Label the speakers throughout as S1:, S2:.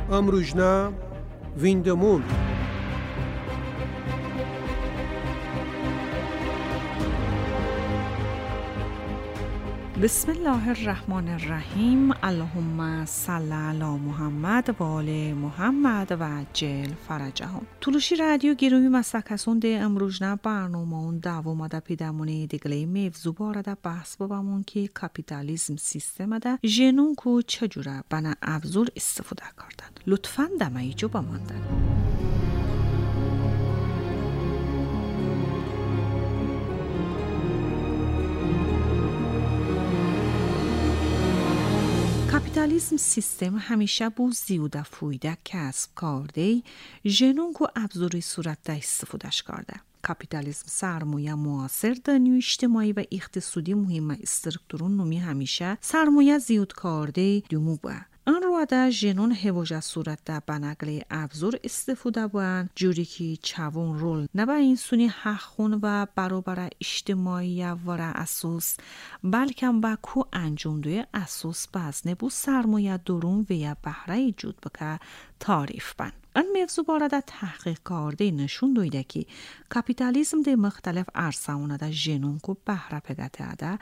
S1: Амружна виндамун.
S2: بسم الله الرحمن الرحیم. اللهم صل علی محمد و آل محمد و عجل فرجهم. تولوشی رادیو گیرومی مسکسون ده امروزنا برنامه اون دوام ده پیدمونه دیگلی موضوع بارده بحث بابامون که کاپیتالیزم سیستم ده جنون کو چجوره بنا ابزور استفاده کردن. لطفاً دمایی جو بماندن. کاپیتالیسم سیستم همیشه بو زیوده فویده کسب کرده جنون کو ابزاری صورت ده استفادهش کرده. کاپیتالیسم سرمایه معاصر دنیای اجتماعی و اقتصادی مهم استرکتورون نومی همیشه سرمایه زیود کرده دومو با. آن رو ده جنون هواجه صورت ده بنقل ابزار استفاده بان جوری که چوون رول نه به اینسونی حق خون و برابر اجتماعی واره اساس بلکه با کو انجام دوی اساس بزنه بو سرمایه درون و یا بهره ایجاد بکه تعریف بن. این موضوع بارده تحقیق کرده نشون دویده که کاپیتالیسم ده مختلف عرصه‌ها ده جنون کو بهره پگته ده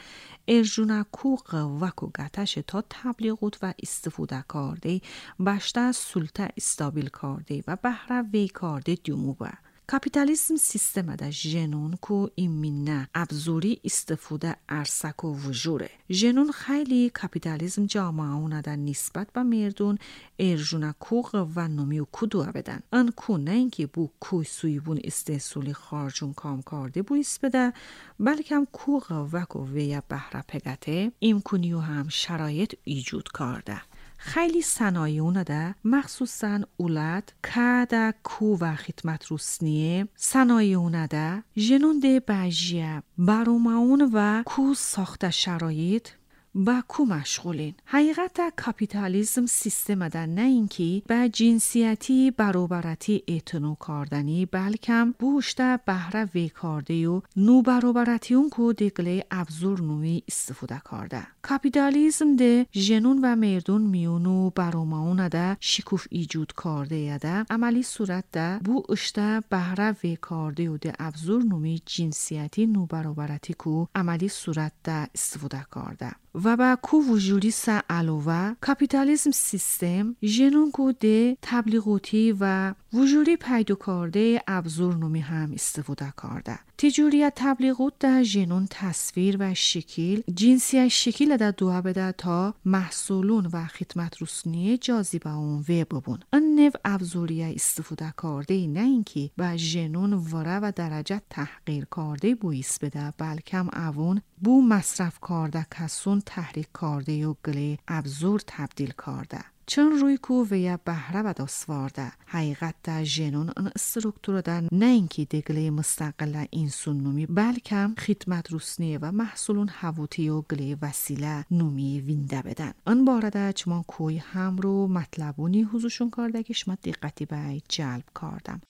S2: ارجونه کو قوه کو گتش تا تبلیغات و استفاده کرده بشته سلطه استابیل کرده و بهره وی کرده دیومو با. کاپیتالیسم سیستم ده جنون کو ایمینه ابزوری استفاده عرصه کو وجوره. جنون خیلی کاپیتالیسم جامعه ده نسبت به مردون ارجونه کو و نومی و کدوه بدن. آن کو نه اینکه بو کوی سویبون استحصالی خارجون کام کرده بویس بده بلکه هم کو قوه کو ویا بهره پگته امکونیو هم شرایط ایجاد کرده. خیلی صنایعونه ده مخصوصاً اولاد که کو و خدمت رسنیه صنایعونه ده جنون ده بجیه بروماون و کو ساخته شرایط با کو مشغولین. حقیقت کاپیتالیسم سیستم ده نه اینکه به جنسیتی برابرتی اعتنا کردنی بلکم بوشته بهره وی کرده و نو برابرتی اون کو دگله ابزور نوی استفاده کرده. کاپیتالیسم ده جنون و مردون میونو براماون ده شکوف ایجاد کرده ده عملی صورت ده بو اشته بهره وی کرده و ده ابزور نوی جنسیتی نو برابرتی کو عملی صورت ده استفاده کرده. و با کو وجودی سا علاوه کاپیتالیسم سیستم جنون کو ده تبلیغاتی و وجودی پیدا کرده ابزور نومی هم استفاده کرده. تجاری تبلیغات ده جنون تصویر و شکل جنسی شکل ده دوها بده تا محصولون و خدمت رسانی جاذبه اون و ببون. این نوع ابزوری استفاده کرده نه اینکه با جنون وره و درجه تحقیر کرده بویس بده بلکم اون بو مصرف کرده کسون تحریک کرده و گله ابزور تبدیل کرده. چون روی کو و یا بهره و دستوارده. حقیقت ده جنون این استرکتور ده نه اینکه دگله مستقل اینسون نومی بلکم خدمت رسنی و محصولون حواتی و گله وسیله نومی وینده بدن. این باره ده چمان کوی هم رو مطلبونی حضورشون کرده که شما دقتی به جلب کردم.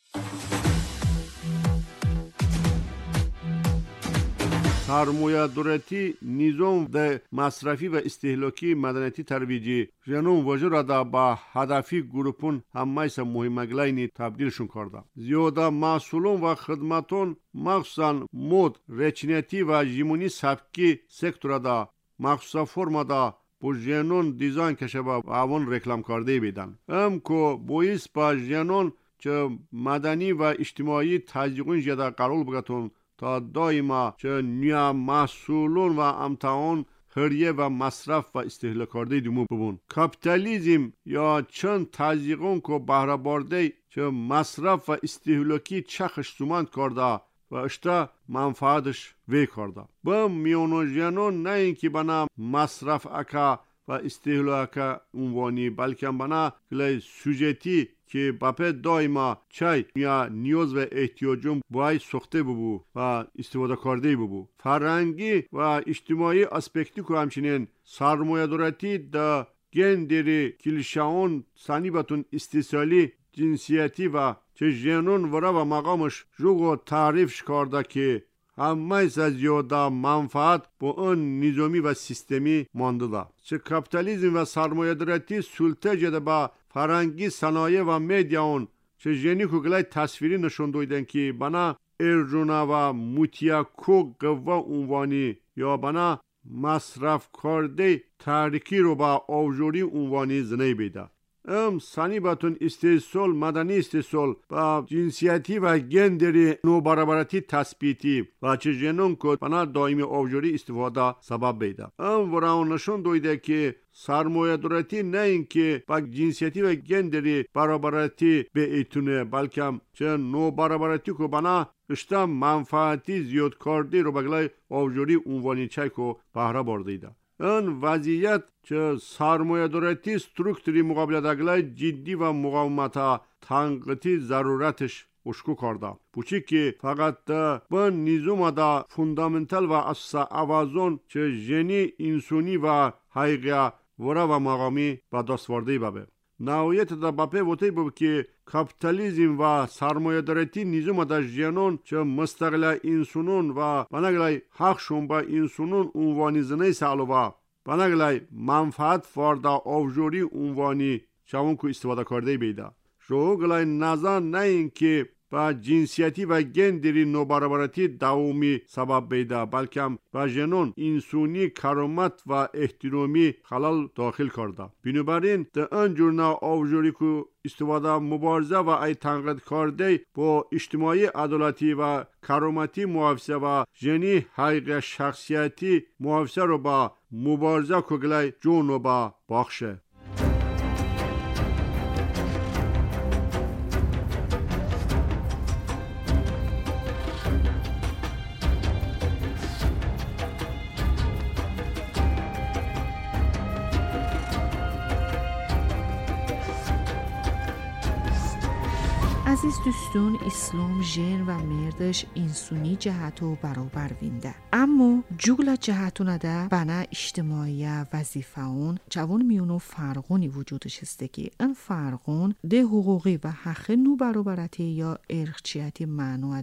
S3: سرمایه دولتی نظام ده مصرفی و استهلاکی مدنیتی ترویجی جنون وجود ده با هدفی گروپون همایسا مهمگلاینی تبدیلشون کرده. زیاده محصولون و خدمتون مخصوصا مد رچنیتی و جیمونی سبکی سکتور ده مخصوصا فرما ده با جنون دیزاین کشه و اوان رکلام کرده بیدن. ام کو بویس با جنون چه مدنی و اجتماعی تزیقون جده قرار بگتون تا دائما چه نیا محصولون و امتحان هریه و مصرف و استهلاک کرده دومو ببون. کاپیتالیزم یا چند تزیقون که بهره بارده چه مصرف و استهلاکی چخش سومند کرده و اشتا منفعتش وی کرده. با میونو جنون نه اینکه بنا مصرف اکا و استهلاک عنوانی بلکه بنا گله سوژتی که بپه دائما چای یا نیاز و احتیاجون باید ساخته ببو و استفاده کرده ببو. فرهنگی و اجتماعی اسپکتی که همچنین سرمایه دارتی دا گندری کلیشه‌اون سنیبتون استیصالی جنسیتی و چه جنون وره و مقامش جوگو تعریفش کرده که همه زیاده منفعت با آن نظامی و سیستمی مانده ده. چه کاپیتالیزم و سرمایه دارتی سلطه جده با فرنگی صنایع و مدیا اون چه ژنی کوگلای تصویری نشون دویدن که بنا ارجونا و موتیاکو قوه عنوانی یا بنا مصرف کرده تاریکی رو با آوجوری عنوانی زنه بیده. ام سانی باتون استحصال مدنی استحصال با جنسیتی و گندری نوبرابرتی تثبیتی و چه جنون که بنا دائمی آوجوری استفاده سبب بیده. ام وراون نشون دویده که سرمایه دارتی نه اینکه با جنسیتی و گندری برابرتی به ایتونه بلکه چه نوبرابرتی که بنا اشتا منفعتی زیاد کردی رو بگلای آوجوری عنوانی چای که بهره بردیده. این وضعیت که سرمایه دارتی سترکتوری مقابله دگلای جدی و مقاومت تنقیدی ضرورتش اشکو کرده. بوچی که فقط با نظام دا فوندامنتال و اساس اوازون چه ژنی انسانی و حقیقی ورا و مقامی با دست ورده بابه. نهایت دا باپه وتی بود که کاپیتالیزم و سرمایه دارتی نظام دا ژنون چه مستقل انسانون و بناگلای حقشون با انسانون عنوانی زنه سالوا بناگلای منفعت فاردا آوجوری عنوانی چون کو استفاده کرده بیده. شوگلای نظر نه اینکه با جنسیتی و گندری نوبرابرتی دوامی سبب بیده بلکه با جنون انسانی کرامت و احترامی خلال داخل کرده. بنابراین در آن جورنا آوجوری که استفاده مبارزه و ای تنقید کرده با اجتماعی عدالتی و کرامتی محافظه و جنی حقیق شخصیتی محافظه رو با مبارزه کگلای جون رو با باخشه.
S2: عزیز دوستون اسلام ژن و مردش انسانی جهتو برابر وینده. اما جوگلا جهتونه ده بنا اجتماعی وظیفه اون چوون میونو فرقونی وجودش هسته که این فرقون ده حقوقی و حق نو برابرتی یا ارخچیتی معنو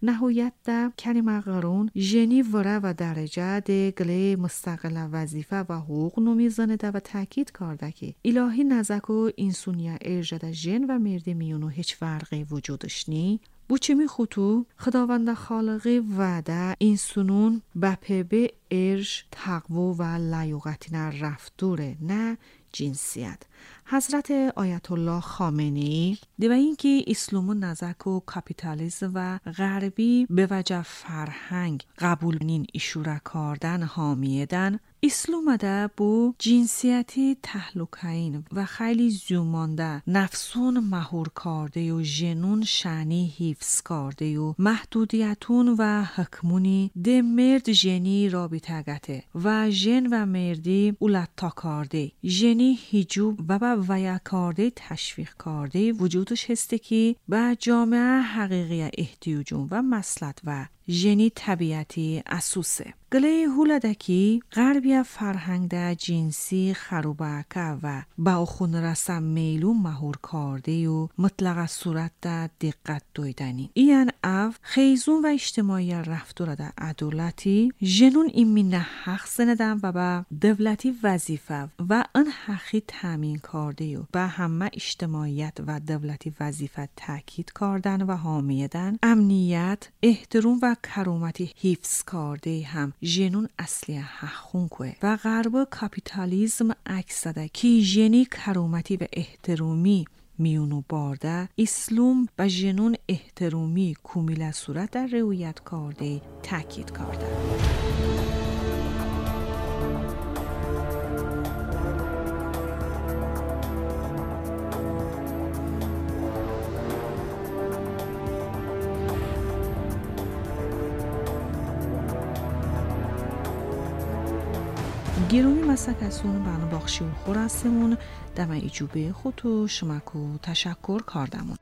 S2: نهایت ده کلمه قرون ژنی وره و درجه ده گله مستقل وظیفه و حقوق نو میزنه ده و تاکید کرده که الهی نزکو انسانی ارجه ژن و مرد میونو هیچ فرقی وجودش نی. Bu kimi xutu Xudavanda xalıqı vədə insanın bəpebe erj, təqvo və layuqətinə rəfdure, nə cinsiyət. حضرت آیت الله خامنه‌ای و اینکه اسلام نزک و کاپیتالیسم و غربی به وجه فرهنگ قبول نین اشوره کردن حامیدن اسلام ده bu cinsiyeti تهلکین و خیلی زومانده نفسون مهور کرده و جنون شنی حفظ کرده و محدودیتون و حکمونی ده مرد جنی رابطه گته و جن و مردی اولتا کرده جنی هجوب و با ویا کرده تشویق کرده وجودش هسته که به جامعه حقیقی احتیاجون و مسلط و ژنی طبیعتی اسوسه. گله هولدکی غربی فرهنگ ده جنسی خروبکه و با خون رسم میلو مهور کرده و مطلق صورت ده دقت دویدنی. این او خیزون و اجتماعی رفتار ده عدالتی ژنون این نه حق زندن و با دولتی وظیفه و این حقی تامین کرده و به همه اجتماعیت و دولتی وظیفه تاکید کردن و حامیدن امنیت احترام و کرامتی حفظ کرده هم ژنون اصلی حقون که و غرب کاپیتالیسم عکس زده که ژنی کرامتی و احترامی میونو بارده اسلام و ژنون احترامی کمیل صورت در رویت کرده تاکید کرده. گیرومی مسکسون بنا باخشی و خوراسمون دم ایجوبه خودو شمکو تشکر کردمون.